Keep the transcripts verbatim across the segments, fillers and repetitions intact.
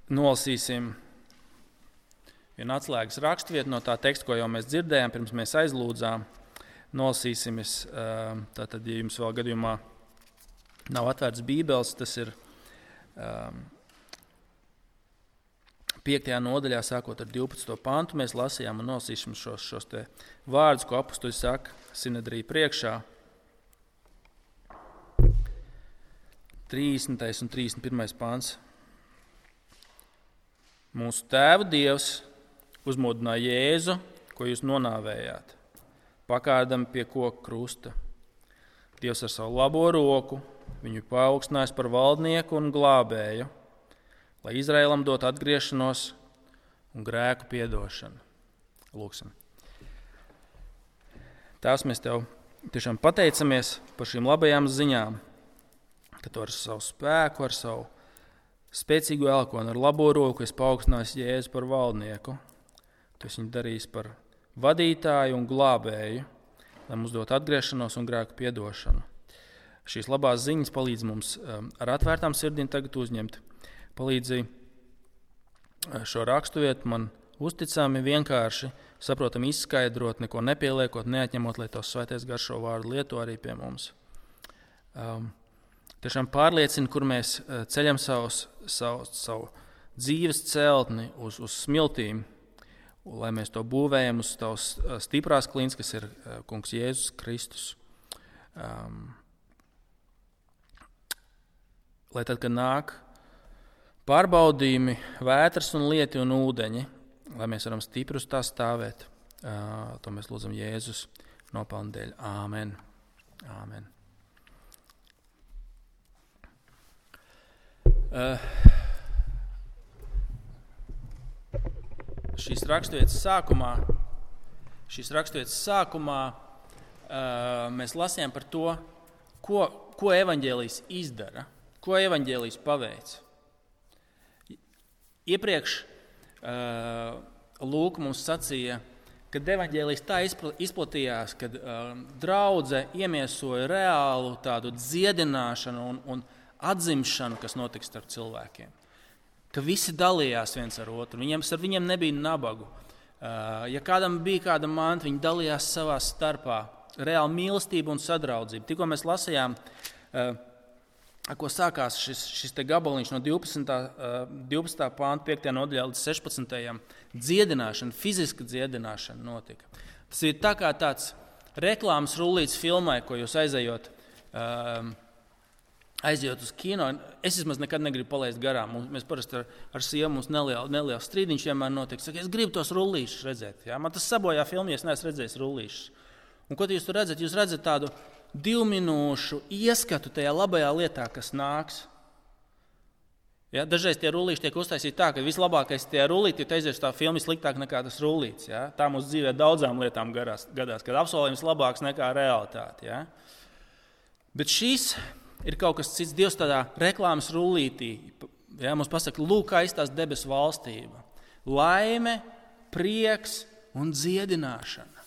nolasīsim vienu atslēgas raksturvietu no tā teksta, ko jau mēs dzirdējām, pirms mēs aizlūdzām. Nolasīsim, es, tātad, ja jums vēl gadījumā nav atvērts Bībeles, tas ir um, piektajā nodaļā, sākot ar divpadsmito pantu, mēs lasījām un nolasīsim šos, šos te vārdus, ko apustuļi saka Sinedrija priekšā. trīsdesmitais un trīsdesmit pirmais pants. Mūsu tēvu Dievs uzmodināja Jēzu, ko jūs nonāvējāt, pakādam pie koka krusta. Dievs ar savu labo roku viņu paaugstinājis par valdnieku un glābēju, lai Izraēlam dot atgriešanos un grēku piedošanu. Lūksim. Tās mēs tev tiešām pateicamies par šīm labajām ziņām, ka tu ar savu spēku, ar savu spēcīgu elkonu, ar labo roku esi paaugstinājis Jēzu par valdnieku. Tu esi viņu darījis par vadītāju un glābēju, lai mums dot atgriešanos un grēku piedošanu. Šīs labās ziņas palīdz mums ar atvērtām sirdīm tagad uzņemt. Palīdzi šo raksturvietu man uzticami, vienkārši, saprotami izskaidrot, neko nepieliekot, neatņemot, lai tavs svētais gars šo vārdu lieto arī pie mums. Um, tiešām pārliecina, kur mēs ceļam savus, savu, savu dzīves celtni uz, uz smiltīm, lai mēs to būvējam uz tavas stiprās klints, kas ir kungs Jēzus Kristus. Um, lai tad, kad nāk pārbaudījumi, vētras un lieti un ūdeņi, lai mēs varam stipri uz tā stāvēt. Uh, to mēs lūdzam Jēzus nopelnu dēļ. Āmen. Āmen. Uh, Šīs raksturvietas sākumā, šīs raksturvietas sākumā uh, mēs lasījām par to, ko, ko evaņģēlijs izdara, ko evaņģēlijs paveic. Iepriekš uh, Lūka mums sacīja, kad evaņģēlijs tā izplatījās, kad uh, draudze iemiesoja reālu tādu dziedināšanu un, un atzimšanu, kas notiks starp cilvēkiem. Ka visi dalījās viens ar otru, viņiem, ar viņiem nebija nabagu. Ja kādam bija kāda manta, viņi dalījās savā starpā. Reāli mīlestība un sadraudzība. Tikko mēs lasījām, ko sākās šis, šis te gabaliņš no divpadsmitā panta, piektajā nodaļā līdz sešpadsmitajam Dziedināšana, fiziska dziedināšana notika. Tas ir tā kā tāds reklāmas rullīts filmai, ko jūs aizejot Aizjot uz kino, es vismaz nekad negribu palaist garām. Mēs parasti ar, ar sievu mums nelielu, nelielu strīdiņš vienmēr notiek. Saka, es gribu tos rullīšus redzēt. Ja? Man tas sabojā filmu, ja es neesmu redzējis rullīšus. Un ko jūs tur redzat? Jūs redzat tādu divu minūšu ieskatu tajā labajā lietā, kas nāks. Ja? Dažreiz tie rullīši tiek uztaisīti tā, ka vislabākais tie rullīti, ja tu aizies tā filma sliktāk nekā tas rullīts. Ja? Tā mums dzīvē daudzām lietām garās, gadās, kad apsolījums labāks nekā realitāte. Ja? Bet šīs ir kaut kas cits. Dievs tādā reklāmas rullītī, ja, mums pasaka, lūk, aizstās debesu valstība. Laime, prieks un dziedināšana.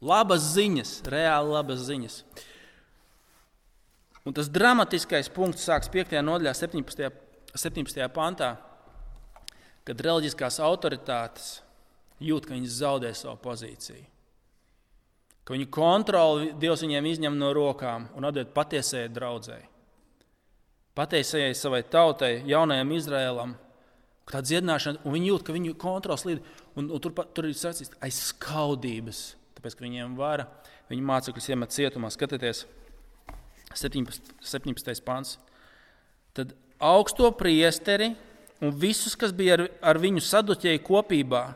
Labas ziņas, reāli labas ziņas. Un tas dramatiskais punkts sāks piektajā nodaļā, septiņpadsmitajā pantā, kad reliģiskās autoritātes jūt, ka viņas zaudē savu pozīciju. Ka viņu kontroli Dievs viņiem izņem no rokām un atdod patiesajai draudzei. Patiesajai savai tautai, jaunajam Izraēlam, ka tā dziedināšana, un viņi jūt, ka viņu kontrols līd, un, un tur, tur ir sacīts aiz skaudības, tāpēc, ka viņiem vara, viņu mācekļus iemet cietumā. Skatieties, septiņpadsmitais pants. Tad augsto priesteri un visus, kas bija ar, ar viņu saduķēju kopībā,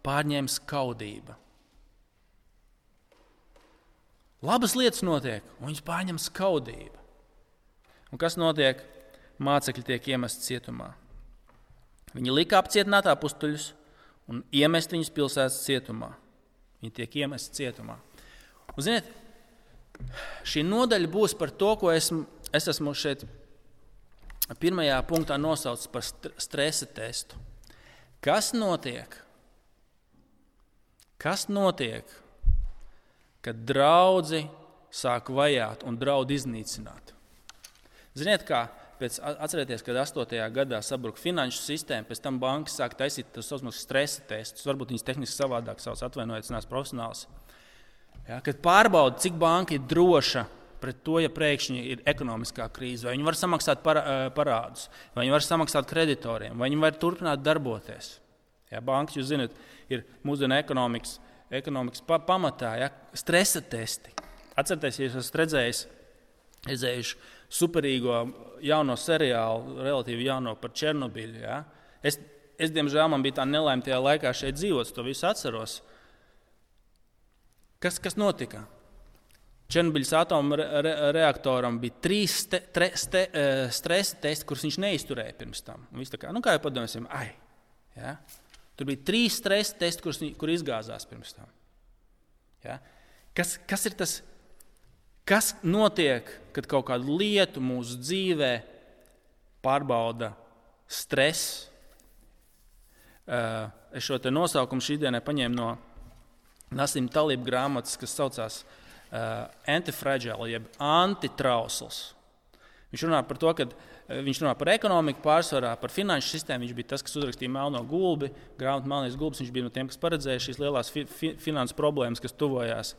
pārņēma skaudība. Labas lietas notiek, un viņus pārņem skaudība. Un kas notiek? Mācekļi tiek iemesti cietumā. Viņi lika apcietināt apustuļus un iemest viņus pilsētas cietumā. Viņi tiek iemesti cietumā. Un, ziniet, šī nodaļa būs par to, ko esmu, es esmu šeit pirmajā punktā nosaucis par stresa testu. Kas notiek? Kas notiek? Kad draudzi sāk vajāt un draud iznīcināt. Ziniet kā, pēc, atcerieties, kad astotajā gadā sabruka finanšu sistēma, pēc tam bankas sāk taisīt tos saucamus stresa testus, varbūt viņas tehniski savādāk savus atvainojiet, es neesmu profesionāls. Ja, kad pārbauda, cik banka ir droša pret to, ja pēkšņi ir ekonomiskā krīze, vai viņi var samaksāt parādus, vai viņi var samaksāt kreditoriem, vai viņi var turpināt darboties. Ja, bankas, jūs zināt, ir mūsdienu ekonomikas, ekonomikas pamatā, ja, stresa testi. Atcerieties, ja jūs esat redzējis, redzējuši superīgo jauno seriālu, relatīvi jauno par Černobiļu. Ja? Es, es, diemžēl, man bija tā nelaime tajā laikā šeit dzīvot, to visu atceros. Kas, kas notika? Černobiļas atomu re, re, reaktoram bija trīs ste, tre, ste, stresa testi, kurus viņš neizturēja pirms tam. Viss tā kā, nu kā jau padomāsim, ai, ja? Tur bija trīs stresa testi, kurus, kur izgāzās pirms tam. Ja? Kas, kas ir tas? Kas notiek, kad kaut kādu lietu mūsu dzīvē pārbauda stress? Es šo te nosaukumu šīdienai paņēmu no Nasim Talib grāmatas, kas saucās Antifragile, jeb antitrausls. Viņš runā par to, kad viņš runā par ekonomiku pārsvarā, par finanšu sistēmu. Viņš bija tas, kas uzrakstīja Melno gulbi, grāmatu Melnais gulbis. Viņš bija no tiem, kas paredzēja šīs lielās fi, fi, finanses problēmas, kas tuvojās.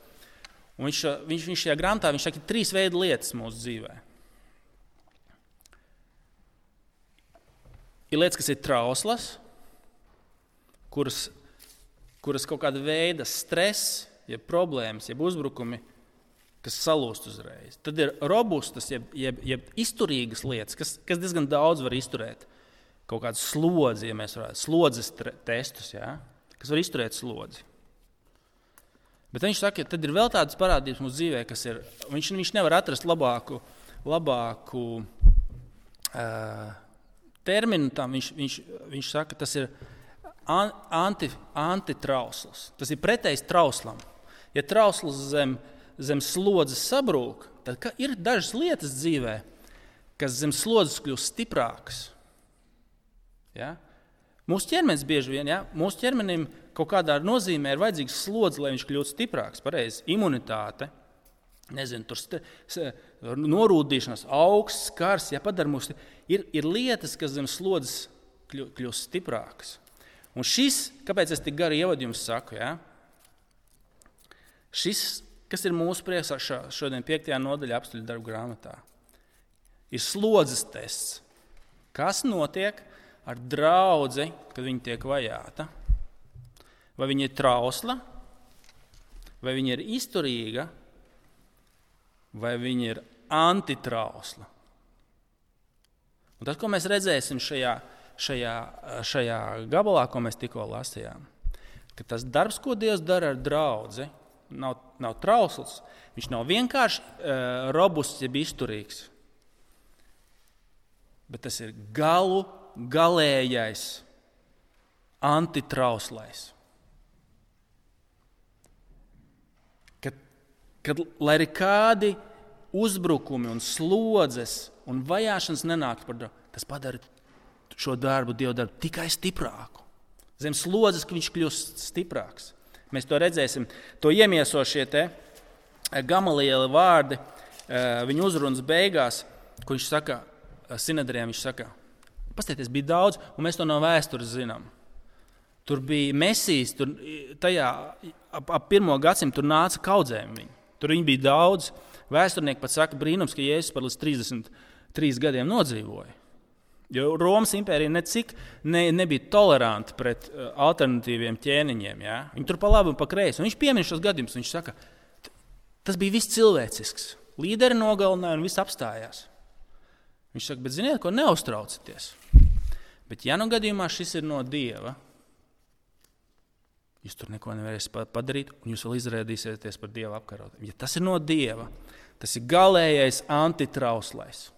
Un viņš, viņš, viņš šajā grāmatā viņš saka, ir trīs veidu lietas mūsu dzīvē. Ir lietas, kas ir trauslas, kuras, kuras kaut kāda veida stress, jeb problēmas, jeb uzbrukumi, kas salūst uzreiz. Tad ir robustas, jeb, jeb, jeb izturīgas lietas, kas, kas diezgan daudz var izturēt. Kaut kādu slodzi, ja mēs varētu, slodzes testus, ja? Kas var izturēt slodzi. Bet viņš saka, ka tad ir vēl tādas parādības mūsu dzīvē, kas ir, viņš, viņš nevar atrast labāku, labāku uh, terminu tam. Viņš, viņš, viņš saka, tas ir anti, antitrausls. Tas ir pretējs trauslam. Ja trausls zem, zem slodzes sabrūk, tad ir dažas lietas dzīvē, kas zem slodzes kļūst stiprākas. Ja? Mūsu ķermenis bieži vien, ja? Mūsu ķermenim kaut kādā nozīmē ir vajadzīgs slodzi, lai viņš kļūtu stiprāks. Pareizi, imunitāte, nezinu, tur st- norūdīšanās, augsts, skars, ja padara mūs, ir, ir lietas, kas zem slodzes kļūst stiprākas. Un šis, kāpēc es tik gari ievadu jums saku, ja? Šis, kas ir mūsu priekšā šodien piektajā nodaļā apstuļu darbu grāmatā, ir slodzes tests. Kas notiek ar draudzi, kad viņi tiek vajāta? Vai viņa ir trausla, vai viņa ir izturīga, vai viņa ir antitrausla. Un tas, ko mēs redzēsim šajā, šajā, šajā gabalā, ko mēs tikko lasījām, ka tas darbs, ko Dievs dara ar draudzi, nav, nav trausls, viņš nav vienkārši uh, robusts, jeb izturīgs, bet tas ir galu galējais antitrauslais. Kad, kad lai arī kādi uzbrukumi un slodzes un vajāšanas nenāktu par darbu, tas padara šo darbu, Dieva darbu, tikai stiprāku. Zem slodzes, ka viņš kļūst stiprāks. Mēs to redzēsim. To iemieso šie te Gamaliela vārdi, viņa uzrunas beigās, ko viņš saka Sinedrijam, viņš saka, pastieties, bija daudz, un mēs to no vēstures zinām. Tur bija Mesijas, tur tajā ap, ap pirmo gadsimtu tur nāca kaudzēm viņi. Tur viņi bija daudz. Vēsturnieki pat saka brīnums, ka Jēzus par līdz trīsdesmit trīs gadiem nodzīvoja. Jo Romas impērija necik ne, nebija toleranti pret uh, alternatīviem ķēniņiem. Ja? Viņi tur pa labi un pa kreisi. Un viņš piemin šos gadījumus. Viņš saka, tas bija viss cilvēcisks. Līderi nogalināja un viss apstājās. Viņš saka, bet ziniet, ko neuztraucaties. Bet ja nu gadījumā šis ir no Dieva, jūs tur neko nevarēsiet padarīt, un jūs vēl izrādīsieties par Dieva apkarotiem. Ja tas ir no Dieva, tas ir galējais antitrauslais.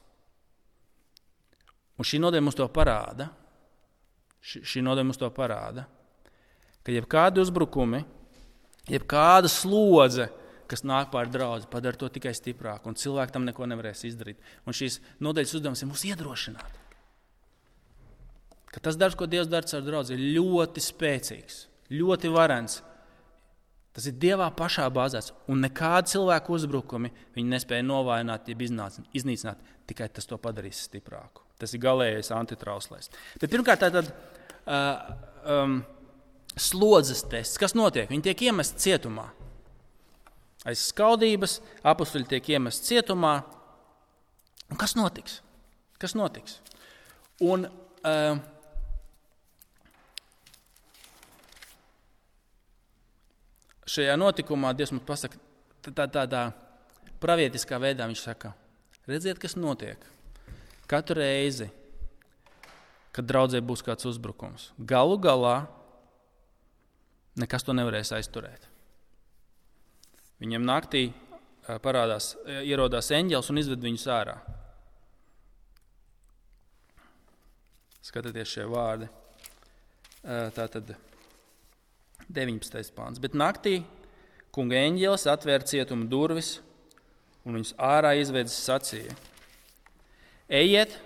Un šī nodaļa mums to parāda, šī, šī nodaļa mums to parāda, ka jebkādi uzbrukumi, jebkāda slodze, kas nāk pār draudzi, padara to tikai stiprāk, un cilvēki tam neko nevarēs izdarīt. Un šīs nodaļas uzdevums ir mūs iedrošināt. Ka tas darbs, ko Dievs dara ar draudzi, ir ļoti spēcīgs, ļoti varens. Tas ir Dievā pašā bāzēts, un nekādi cilvēku uzbrukumi viņi nespēja novājināt, jeb iznīcināt, tikai tas to padarīs stiprāku. Tas ir galējais antitrauslais. Bet pirmkārt, tātad uh, um, slodzes tests. Kas notiek? Viņi tiek iemesti cietumā. Aiz skaudības apustuļi tiek iemesti cietumā. Un kas notiks? Kas notiks? Un uh, šajā notikumā Dievs mums pasaka, tā, tādā pravietiskā veidā viņš saka, redziet, kas notiek. Katru reizi, kad draudzē būs kāds uzbrukums, galu galā nekas to nevarēs aizturēt. Viņiem naktī parādās, ierodās eņģelis un izved viņus ārā. Skatieties šie vārdi. Tātad deviņpadsmitais pāns. Bet naktī kunga eņģelis atvēra cietuma durvis un viņus ārā izvedis sacīja. Ejiet,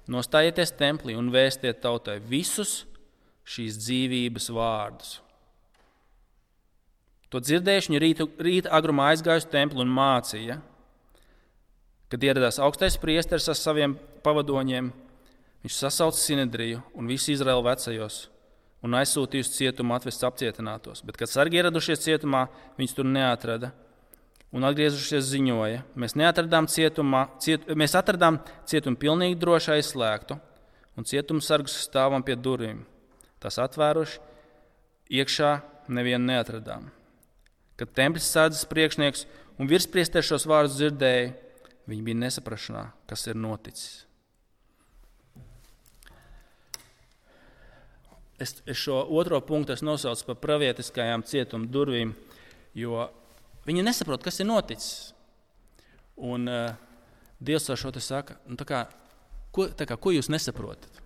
nostājieties templī un vēstiet tautai visus šīs dzīvības vārdus. To dzirdējuši viņi rīta, rīta agrumā aizgājuši templi un mācīja, kad ieradās augstais priesteris ar saviem pavadoņiem, viņš sasauca Sinedriju un visu Izraēlu vecajos un aizsūtīja uz cietumu atvest apcietinātos. Bet, kad sargi ieradušies cietumā, viņus tur neatrada un atgriezušies ziņoja. Mēs, cietumā, ciet, mēs atradām cietumu pilnīgi droši aizslēgtu un cietumu sargus stāvam pie durvīm. Tās atvēruši, iekšā nevienu neatradām. Kad templis sardzes priekšnieks un virspriesteris šos vārdus dzirdēja, viņi bija nesaprašanā, kas ir noticis. Es, es šo otro punktu es nosaucu par pravietiskajām cietuma durvīm, jo viņi nesaprot, kas ir noticis. Un uh, Dievs ar šo te saka, nu, tā kā, ko, tā kā, ko jūs nesaprotat?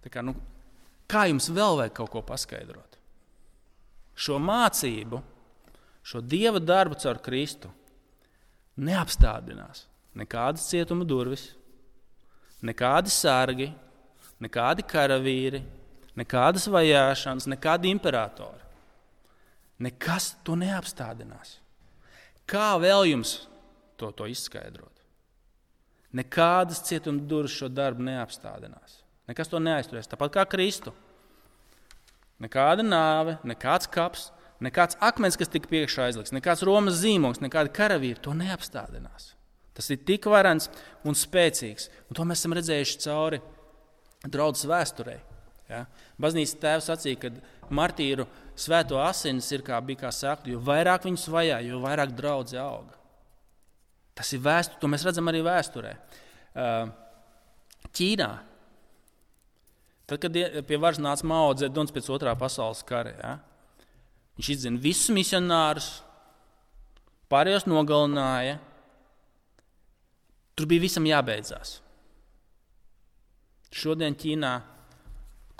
Tā kā, nu, kā jums vēl vajag kaut ko paskaidrot? Šo mācību, šo Dieva darbu caur Kristu neapstādinās nekādas cietuma durvis, nekādi sargi, nekādi karavīri, nekādas vajāšanas, nekādi imperatori. Nekas to neapstādinās. Kā vēl jums to, to izskaidrot? Nekādas cietuma durvis šo darbu neapstādinās. Nekas to neaizturēs. Tāpat kā Kristu. Nekāda nāve, nekāds kaps, nekāds akmens, kas tika priekšā aizlikts, nekāds Romas zīmogs, nekāda karavīra, to neapstādinās. Tas ir tik varens un spēcīgs. Un to mēs esam redzējuši cauri draudzes vēsturei. Ja? Baznīcas tēvs sacīja, ka martīru svēto asinis ir kā bija kā sēkla, jo vairāk viņus vajā, jo vairāk draudze auga. Tas ir vēsture, to mēs redzam arī vēsturē. Ķīnā. Tad, kad pie varas nāca Mao Dzeduns pēc otrā pasaules kara, ja, viņš izdzina visus misionārus, pārējos nogalināja. Tur bija visam jābeidzās. Šodien Ķīnā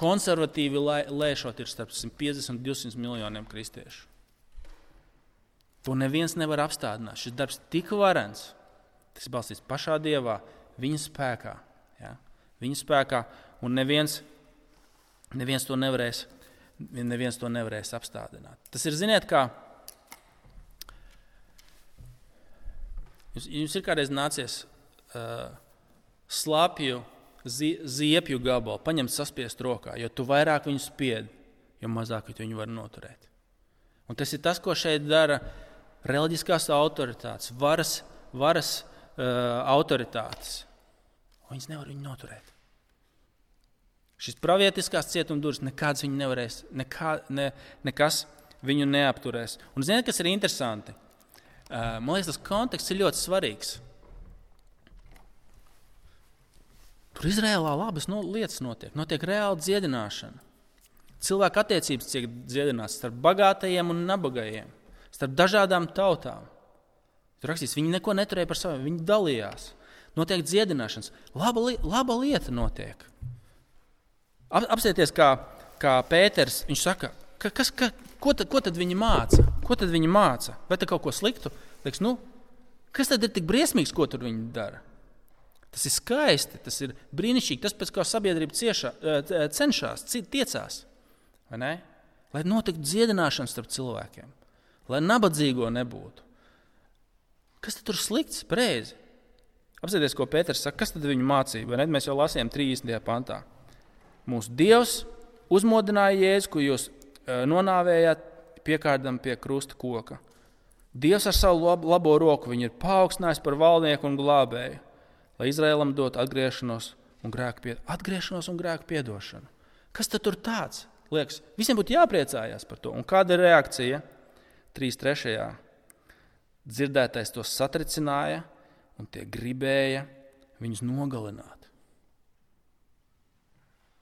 konservatīvi lēšot ir starp simt piecdesmit un divsimt miljoniem kristiešu. To neviens nevar apstādināt. Šis darbs tik varens, tas balstīts pašā Dievā, viņa spēkā. Ja, viņa spēkā un neviens Neviens to nevarēs, neviens to nevarēs apstādināt. Tas ir, ziniet, kā jums, jums ir kādreiz nācies uh, slapju, zi, ziepju gabalu, paņemt saspiest rokā, jo tu vairāk viņu spied, jo mazāk viņu var noturēt. Un tas ir tas, ko šeit dara reliģiskās autoritātes, varas, varas uh, autoritātes. Viņas nevar viņu noturēt. Šis pravietiskās cietuma durvis nekāds viņu nevarēs, nekā, ne, nekas viņu neapturēs. Un ziniet, kas ir interesanti? Uh, man liekas, tas konteksts ir ļoti svarīgs. Tur Izrēlā labas no, lietas notiek. Notiek reāla dziedināšana. Cilvēku attiecības tiek dziedināts starp bagātajiem un nabagajiem, starp dažādām tautām. Tur rakstīts, viņi neko neturēja par saviem, viņi dalījās. Notiek dziedināšanas. Laba, laba lieta notiek. Apsieties, kā, kā Pēters, viņš saka, ka, kas, ka, ko, tad, ko tad viņi māca? Ko tad viņi māca? Vai tad kaut ko sliktu? Liekas, nu, kas tad ir tik briesmīgs, ko tur viņi dara? Tas ir skaisti, tas ir brīnišķīgi, tas pēc kā sabiedrība ciešā, cenšās, tiecās. Vai ne? lai notiktu dziedināšana starp cilvēkiem, lai nabadzīgo nebūtu. Kas tad tur slikts? Pareizi. Apsēties, ko Pēters saka, kas tad viņu mācība? Ne? Mēs jau lasījām trīsdesmitajā pantā. Mūsu Dievs uzmodināja Jēzu, ko jūs nonāvējāt piekārdam pie krusta koka. Dievs ar savu labo roku viņu ir paaugstinājis par valdnieku un glābēju, lai Izraēlam dot atgriešanos un grēku pied... atgriešanos un grēku piedošanu. Kas tad tur tāds? Liekas, visiem būtu jāpriecājās par to. Un kāda ir reakcija? trīs trešajā dzirdētais tos satricināja un tie gribēja viņus nogalināt.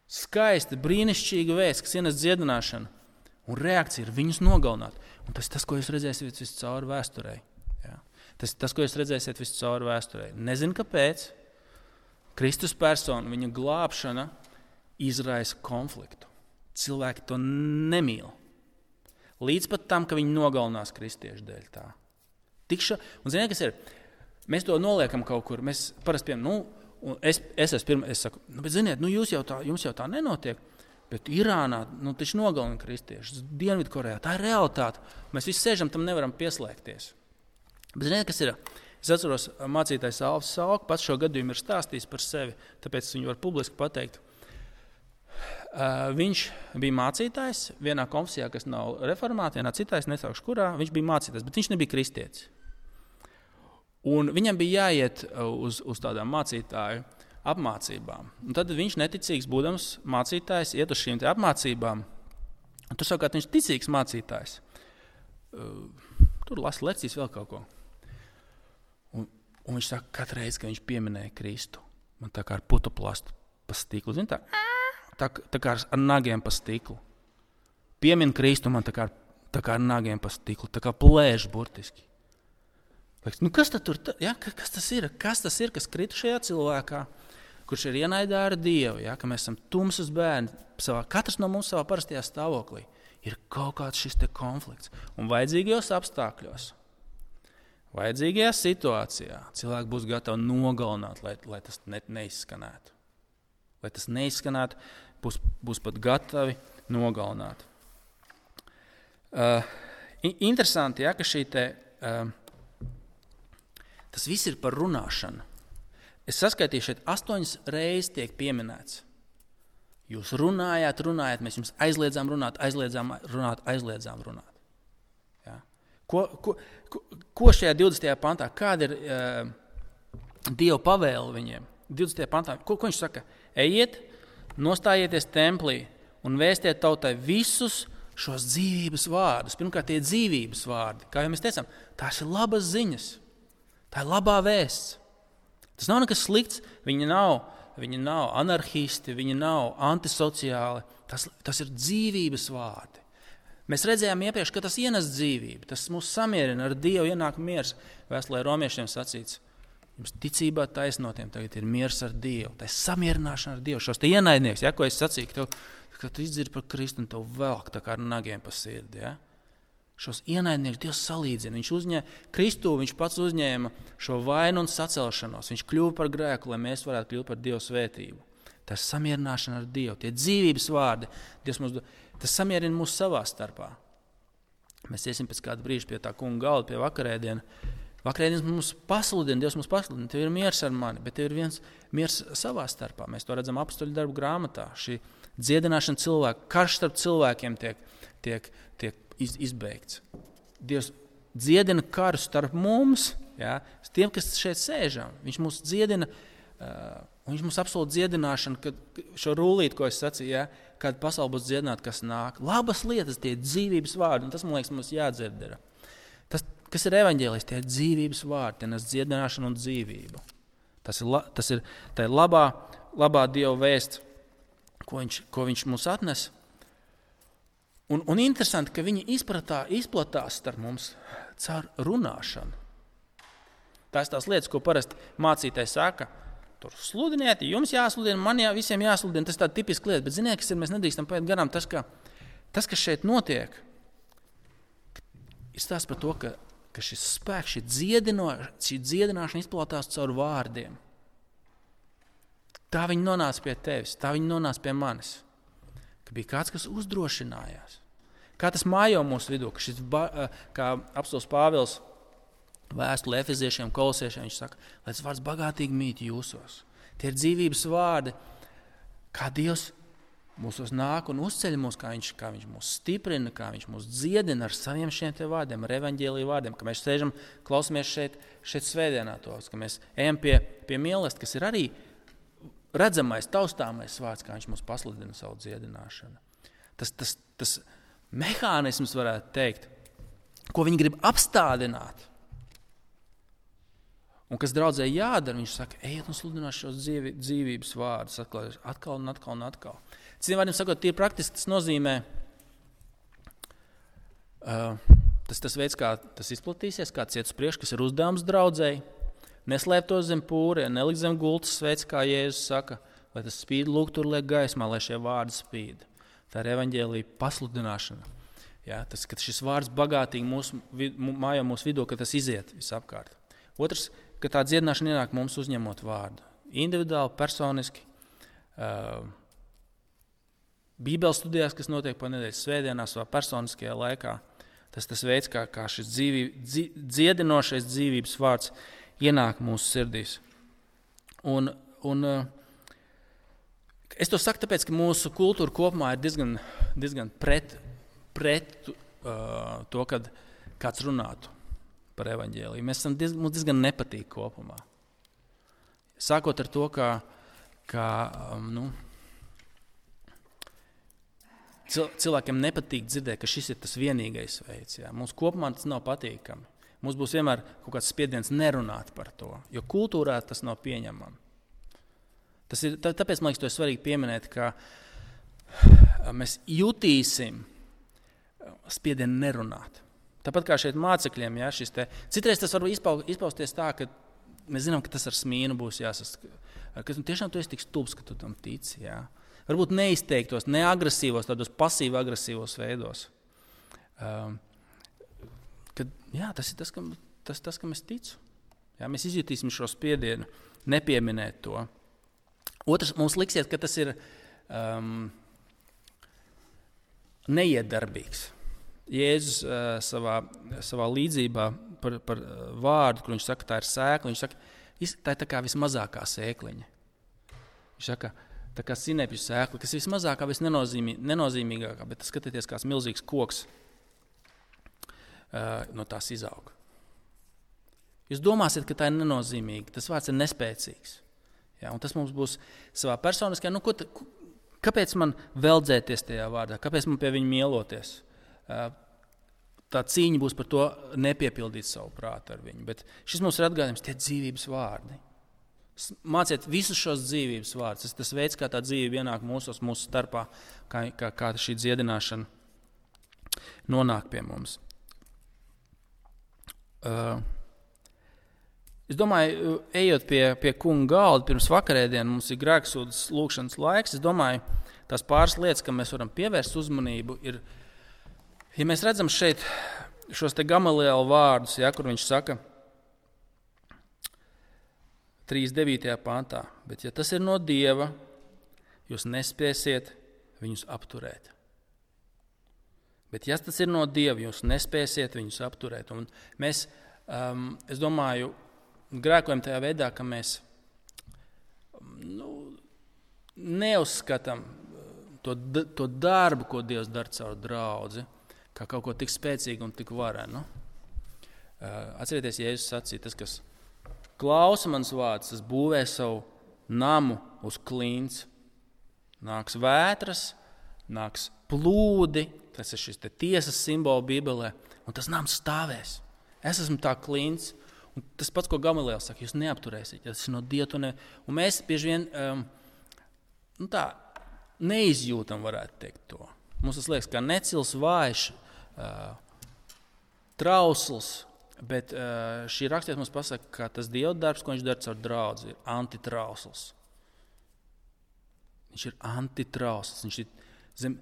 Skaista, brīnišķīga vēsts, kas ienes dziedināšanu. Un reakcija ir viņus nogalināt. Un tas ir tas, ko jūs redzēsiet visu cauri vēsturei. Ja? Tas ir tas, ko jūs redzēsiet visu cauri vēsturei. Nezinu, kāpēc. Kristus persona, viņa glābšana izraisa konfliktu. Cilvēki to nemīl. Līdz pat tam, ka viņi nogalinās kristiešu dēļ tā. Tikša, un ziniet, kas ir? Mēs to noliekam kaut kur. Mēs parasti piem, nu, es, es esmu pirmā, es saku, nu, bet ziniet, nu, jūs jau tā, jums jau tā nenotiek. Bet Irānā, nu, taču nogalina kristiešus, Dienvidkorejā, tā ir realitāte. Mēs visi sēžam, tam nevaram pieslēgties. Bet ziniet, kas ir? Es atceros, mācītājs Alfs Salk pats šo gadījumu ir stāstījis par sevi, tāpēc es viņu varu publiski pateikt. Uh, viņš bija mācītājs vienā konfesijā, kas nav reformāta, vienā citā, es nesaukšu kurā, viņš bija mācītājs, bet viņš nebija kristietis. Un viņam bija jāiet uz, uz tādām mācītāju apmācībām. Un tad viņš neticīgs, būdams mācītājs, iet uz šīm te apmācībām. Un tur savukārt viņš ticīgs mācītājs. Uh, tur lasa lekcijas vēl kaut ko. Un, un viņš saka, katru reizi, kad viņš pieminēja Kristu, man tā kā ar putuplastu pa stiklu, zin tā, tā, tā kā ar nagiem pa stiklu. Piemin Kristu man tā kā, tā kā ar nagiem pa stiklu, tā kā plēž burtiski. Liekas, nu kas tad tur, ja, kas tas ir? Kas tas ir, kas krita šajā cilvēkā, kurš ir ienaidā ar Dievu, ja, ka mēs esam tumsas bērni, savā, katrs no mums savā parastajā stāvoklī, ir kaut kāds šis te konflikts. Un vajadzīgajos apstākļos, vajadzīgajā situācijā cilvēki būs gatavi nogalināt, lai, lai tas ne, neizskanētu. Lai tas neizskanētu, būs, būs pat gatavi nogalināt. Uh, interesanti, ja, ka šī te, uh, tas viss ir par runāšanu. Es saskaitīju šeit astoņas reizes tiek pieminēts. Jūs runājāt, runājāt, mēs jums aizliedzām runāt, aizliedzām runāt, aizliedzām runāt. Ja? Ko, ko, ko, ko šajā divdesmitajā pantā, kāda ir uh, Dieva pavēle viņiem? divdesmitajā pantā, ko, ko viņš saka? Ejiet, nostājieties templī un vēstiet tautai visus šos dzīvības vārdus. Pirmkārt, tie dzīvības vārdi. Kā jau mēs teicām, tās ir labas ziņas. Tā ir labā vēsts. Tas nav nekas slikts, viņi nav, viņi nav anarhisti, viņi nav antisociāli, tas, tas ir dzīvības vārdi. Mēs redzējām iepriekš, ka tas ienes dzīvību, tas mūs samierina ar Dievu, ienāk miers. Vēstulē romiešiem sacīts, jums ticībā taisnotiem tagad ir miers ar Dievu, tā ir samierināšana ar Dievu. Šos te ienaidnieks, ja, ko es sacīju, ka, tev, ka tu izdzirdi par Kristu un tev velk tā kā ar nagiem pa sirdi, ja. Šos ienaidniekus Dievs salīdzina. Viņš uzņēma Kristu, viņš pats uzņēma šo vainu un sacelšanos. Viņš kļuva par grēku, lai mēs varētu kļūt par Dievu svētību. Tā ir samierināšana ar Dievu. Tie dzīvības vārdi, Dievs mums, tas samierina mūs savā starpā. Mēs iesim pēc kāda brīža pie tā kunga galda, pie vakarēdiena. Vakarēdienas mums pasludina, Dievs mums pasludina, tev ir miers ar mani, bet tev ir viens miers savā starpā. Mēs to redzam apostoļu darbu grāmatā. Šī dziedināšana cilvēku, karš starp cilvēkiem tiek, tiek, tiek iz, izbeigts. Dievs dziedina karu starp mums, ja, tiem, kas šeit sēžam. Viņš mūs dziedina, uh, un viņš mums apsolūti dziedināšanu, kad šo rullīti, ko es sacīju, ja, kad pasauli būs dziedināta, kas nāk. Labas lietas, tie dzīvības vārdi, un tas, man liekas, mums jādzird ir. Tas, kas ir evaņģēlijs, tie ir dzīvības vārdi, tie nes dziedināšanu un dzīvību. Tas ir, tas ir, tā ir labā, labā Dieva vēsts, ko viņš, ko viņš mums atnes. Un, un interesanti, ka viņi izpratā, izplatās starp mums caur runāšanu. Tās tās lietas, ko parasti mācītājs saka, tur sludiniet, jums jāsludina, man jā, visiem jāsludina, tas ir tāda tipiska lieta, bet ziniet, kas ir, mēs nedrīkstam paiet garām, tas, ka, tas, kas šeit notiek, ir stāsts par to, ka, ka šis spēks, šī, dziedino, šī dziedināšana izplatās caur vārdiem. Tā viņi nonāca pie tevis, tā viņi nonāca pie manis. Ka bija kāds, kas uzdrošinājās, Kā tas mājo mūsu vidū, ka šis, kā apostols Pāvils vēstule Efeziešiem, Kolosiešiem, viņš saka, lai tas vārds bagātīgi mīt jūsos. Tie ir dzīvības vārdi, kā Dievs mūsos nāk un uzceļ mūs, kā viņš, kā viņš mūs stiprina, kā viņš mūs dziedina ar saviem šiem te vārdiem, ar evaņģēliju vārdiem, ka mēs sēžam, klausamies šeit, šeit svētdienā tos, ka mēs ejam pie, pie mīlestības, kas ir arī redzamais, taustāmais vārds, kā viņš mūs pasludina savu dziedināšanu. Tas, tas, tas mehānisms, varētu teikt, ko viņi grib apstādināt, un kas draudzē jādara, viņš saka, ejiet un sludināt šos dzīvi, dzīvības vārdus atkal, atkal un atkal un atkal. Citiem vārdiem sakot, tie praktiski tas nozīmē, uh, tas, tas veids, kā tas izplatīsies, kā ciet uz priekšu, kas ir uzdevums draudzēji, neslēpt to zem pūriem, nelikt zem gultas veids, kā Jēzus saka, lai tas spīd lūk tur liek gaismā, lai šie vārdi spīd. Tā ir evaņģēlija pasludināšana. Ja, tas, ka šis vārds bagātīgi mūsu, mājo mūsu vidū, ka tas iziet visapkārt. Otrs, ka tā dziedināšana ienāk mums uzņemot vārdu. Individuāli, personiski, uh, Bībeles studijās, kas notiek pa nedēļas svētdienās vai personiskajā laikā. Tas tas veids, kā, kā šis dzīvī, dzi, dziedinošais dzīvības vārds ienāk mūsu sirdīs. Un, un uh, es to saku tāpēc, ka mūsu kultūra kopumā ir diezgan, diezgan pret, pret uh, to, kad kāds runātu par evaņģēliju. Mēs esam diezgan, mums diezgan nepatīk kopumā. Sākot ar to, ka, ka um, nu, cilvēkiem nepatīk dzirdēt, ka šis ir tas vienīgais veids. Jā. Mums kopumā tas nav patīkami. Mums būs vienmēr kaut kāds spiediens nerunāt par to, jo kultūrā tas nav pieņemami. Tas ir, tāpēc, man liekas, to ir svarīgi pieminēt, ka mēs jutīsim spiedienu nerunāt. Tāpat kā šeit mācekļiem, jā, šis te, citreiz tas var izpausties tā, ka mēs zinām, ka tas ar smīnu būs jāsast, ka tiešām tu esi tik stulbs, ka tu tam tici, jā. Varbūt neizteiktos, neagresīvos, tādos pasīvi-agresīvos veidos. Um, kad, jā, tas ir tas, kam, tas, tas, kam es ticu. Jā, mēs izjutīsim šo spiedienu, nepieminēt to. Otrs, mums liksies, ka tas ir um, neiedarbīgs. Jēzus uh, savā, savā līdzībā par, par vārdu, kur viņš saka, tā ir sēkla, viņš saka, tā ir tā kā vismazākā sēkliņa. Viņš saka, tā kā sinepju sēkla, kas ir vismazākā, visnenozīmīgākā, bet skatieties, kāds milzīgs koks uh, no tās izaug. Jūs domāsiet, ka tā ir nenozīmīga, tas vārds ir nespēcīgs. Ja, un tas mums būs savā personiskajā, nu, ko ta, kāpēc man veldzēties tajā vārdā, kāpēc man pie viņa mieloties? Uh, tā cīņa būs par to nepiepildīt savu prātu ar viņu, bet šis mums ir atgādājums, tie dzīvības vārdi. Māciet visus šos dzīvības vārdus. Tas ir tas veids, kā tā dzīve ienāk mūsos, mūsu starpā, kā, kā, kā šī dziedināšana nonāk pie mums. Uh, es domāju, ejot pie, pie kunga galda, pirms vakarēdienu mums ir grēksūdas lūkšanas laiks. Es domāju, tās pāris lietas, kam mēs varam pievērst uzmanību, ir, ja mēs redzam šeit šos te Gamaliela vārdus, ja, kur viņš saka, trīsdesmit devītajā pantā, bet ja tas ir no Dieva, jūs nespēsiet viņus apturēt. Bet ja tas ir no Dieva, jūs nespēsiet viņus apturēt. Un mēs, um, es domāju, grēkojam tajā veidā, ka mēs nu, neuzskatām to, to darbu, ko Dievs dara caur draudzi, kā kaut ko tik spēcīgu un tik varenu. Uh, atcerieties, Jēzus sacīja, tas, kas klausa mans vārds, tas būvē savu namu uz klints. Nāks vētras, nāks plūdi, tas ir šis te tiesas simbola Bībelē, un tas nams stāvēs. Es esmu tā klints, un tas pats, ko Gamaliels saka, jūs neapturēsiet, ja tas ir no Dieva. Ne... Un mēs bieži vien um, nu tā, neizjūtam, varētu teikt to. Mums tas liekas kā necils, vājš, uh, trausls, bet uh, šī rakstiet mums pasaka, ka tas Dieva darbs, ko viņš dara caur draudzi, ir antitrausls. Viņš ir antitrausls. Viņš ir zem...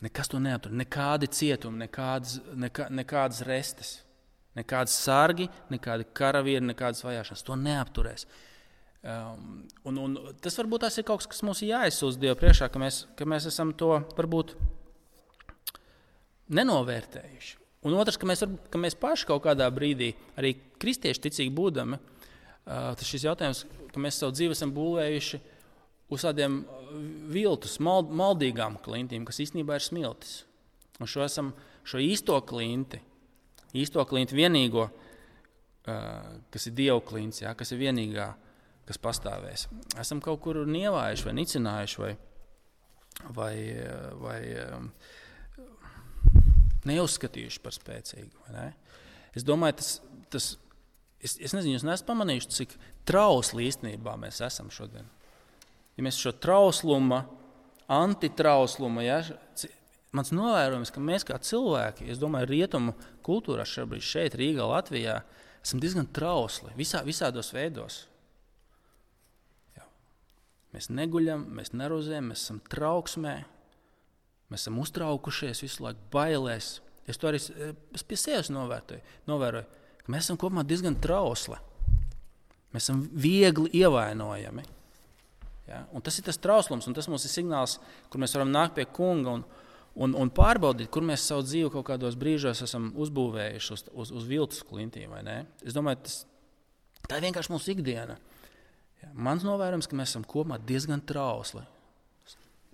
Nekas to neaptur. Nekādi cietumi, nekādas, nekā, nekādas restes, nekādas sargi, nekādi karavieri, nekādas vajāšanas. To neapturēs. Um, un, un tas varbūt tās ir kaut kas, kas mums ir jāizsūdz Dievu priekšā, ka mēs, ka mēs esam to varbūt nenovērtējuši. Un otrs, ka mēs, ka mēs paši kaut kādā brīdī, arī kristieši ticīgi būdami, tas šis jautājums, ka mēs savu dzīvi esam būvējuši uz tādiem viltus, mal, maldīgām klintīm, kas īstenībā ir smiltis. Un šo, esam, šo īsto klinti, īsto klinti vienīgo, kas ir Dievu klints, ja, kas ir vienīgā, kas pastāvēs. Esam kaut kur nievājuši vai nicinājuši vai, vai, vai neuzskatījuši par spēcīgu. Vai ne? Es domāju, tas, tas es, es nezinu, jūs neesat pamanījuši, cik trausli īstenībā mēs esam šodien. Ja mēs šo trausluma, antitrausluma, ja, mans novērojums, ka mēs kā cilvēki, es domāju, rietumu kultūrā šobrīd šeit, Rīgā, Latvijā, esam diezgan trausli, visā, visādos veidos. Jā. Mēs neguļam, mēs nerozējam, mēs esam trauksmē, mēs esam uztraukušies visu laiku, bailēs. Es to arī es pie sevis novēroju, novēroju, ka mēs esam kopumā diezgan trausli. Mēs esam viegli ievainojami. Ja? Un tas ir tas trauslums, un tas mums ir signāls, kur mēs varam nākt pie kunga un, un, un pārbaudīt, kur mēs savu dzīvi kaut kādos brīžos esam uzbūvējuši uz, uz, uz viltus klintīm, vai ne? Es domāju, tas, tā ir vienkārši mūsu ikdiena. Ja? Mans novērojums, ka mēs esam kopumā diezgan trausli.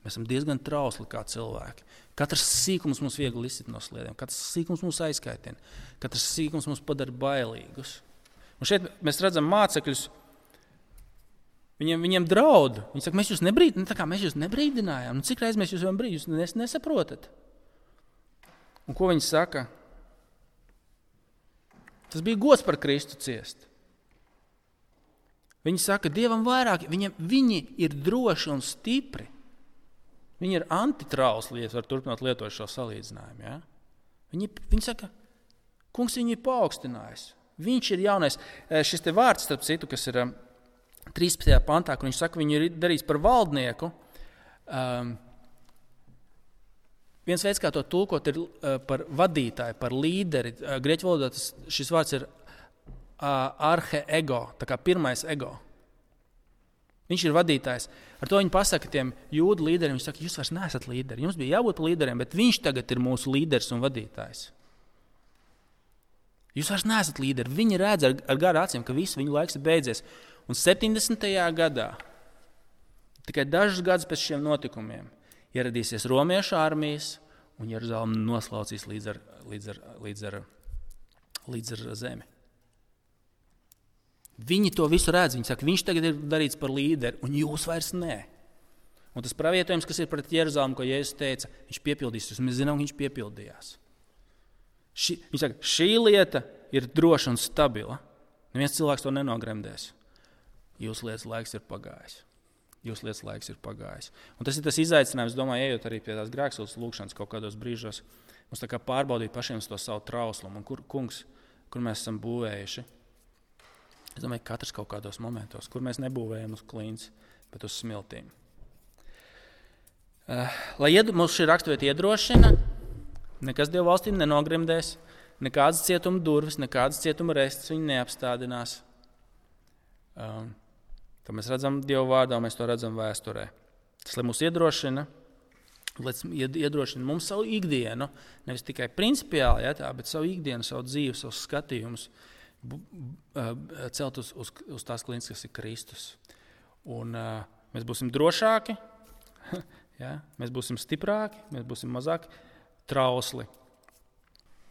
Mēs esam diezgan trausli kā cilvēki. Katrs sīkums mums viegli izsit no sliedēm, katrs sīkums mūs aizskaitina, katrs sīkums mums padara bailīgus. Un šeit mēs redzam mācekļus, viņiem, viņiem draud. Viņi saka, mēs jūs, nebrīd, tā kā mēs jūs nebrīdinājām. Nu, cik reiz mēs jūs varam brīdināt, jūs nes, nesaprotat? Un ko viņi saka? Tas bija gods par Kristu ciest. Viņi saka, Dievam vairāk, viņiem, viņi ir droši un stipri. Viņi ir antitrausli, ja var turpināt lietot šo salīdzinājumu. Ja? Viņi, viņi saka, kungs viņu ir paaugstinājis. Viņš ir jaunais. Šis te vārds, starp citu, kas ir trīspadsmitajā pantā, kur viņš saka, viņu ir darījis par valdnieku. Um, viens veids, kā to tulkot, ir uh, par vadītāju, par līderi. Uh, Grieķu valodā tas, šis vārds ir uh, arhe ego, tā kā pirmais ego. Viņš ir vadītājs. Ar to viņi pasaka tiem jūdu līderiem, viņi saka, jūs vairs neesat līderi. Jums bija jābūt par līderiem, bet viņš tagad ir mūsu līderis un vadītājs. Jūs vairs neesat līderi. Viņi redz ar, ar garu acīm, ka viss viņu laiks ir beidzies. Un septiņdesmitajā gadā, tikai dažus gadus pēc šiem notikumiem, ieradīsies romiešu armijas un Jeruzalem noslaucīs līdz ar, līdz ar, līdz ar, līdz ar zemi. Viņi to visu redz, viņi saka, viņš tagad ir darīts par līderi, un jūs vairs nē. Un tas pravietojums, kas ir pret Jeruzalemu, ko Jēzus teica, viņš piepildīs, un mēs zinām, ka viņš piepildījās. Ši, viņš saka, šī lieta ir droša un stabila. Neviens cilvēks to nenogremdēs. Jūsu lietas laiks ir pagājis. Jūsu lietas laiks ir pagājis. Un tas ir tas izaicinājums, domāju, ejot arī pie tās grēksūdzes lūkšanas kaut kādos brīžos, mums tā kā pārbaudīt pašiem to savu trauslumu, un kur, kungs, kur mēs esam būvējuši. Es domāju, ka katrs kaut kādos momentos, kur mēs nebūvējam uz klints, bet uz smiltīm. Uh, lai ied, mums šī raksturvieta iedrošina, nekas Dievu valstī nenogremdēs, nekādas cietuma durvis, nekādas cietuma restes viņi neapstādinās. Um, to mēs redzam Dievu vārdā, mēs to redzam vēsturē. Tas, lai mūs iedrošina, lai iedrošina mums savu ikdienu, nevis tikai principiāli, ja, tā, bet savu ikdienu, savu dzīvi, savus skatījumus, celt uz, uz, uz tās klints, kas ir Kristus. Un uh, mēs būsim drošāki, ja? Mēs būsim stiprāki, mēs būsim mazāk trausli.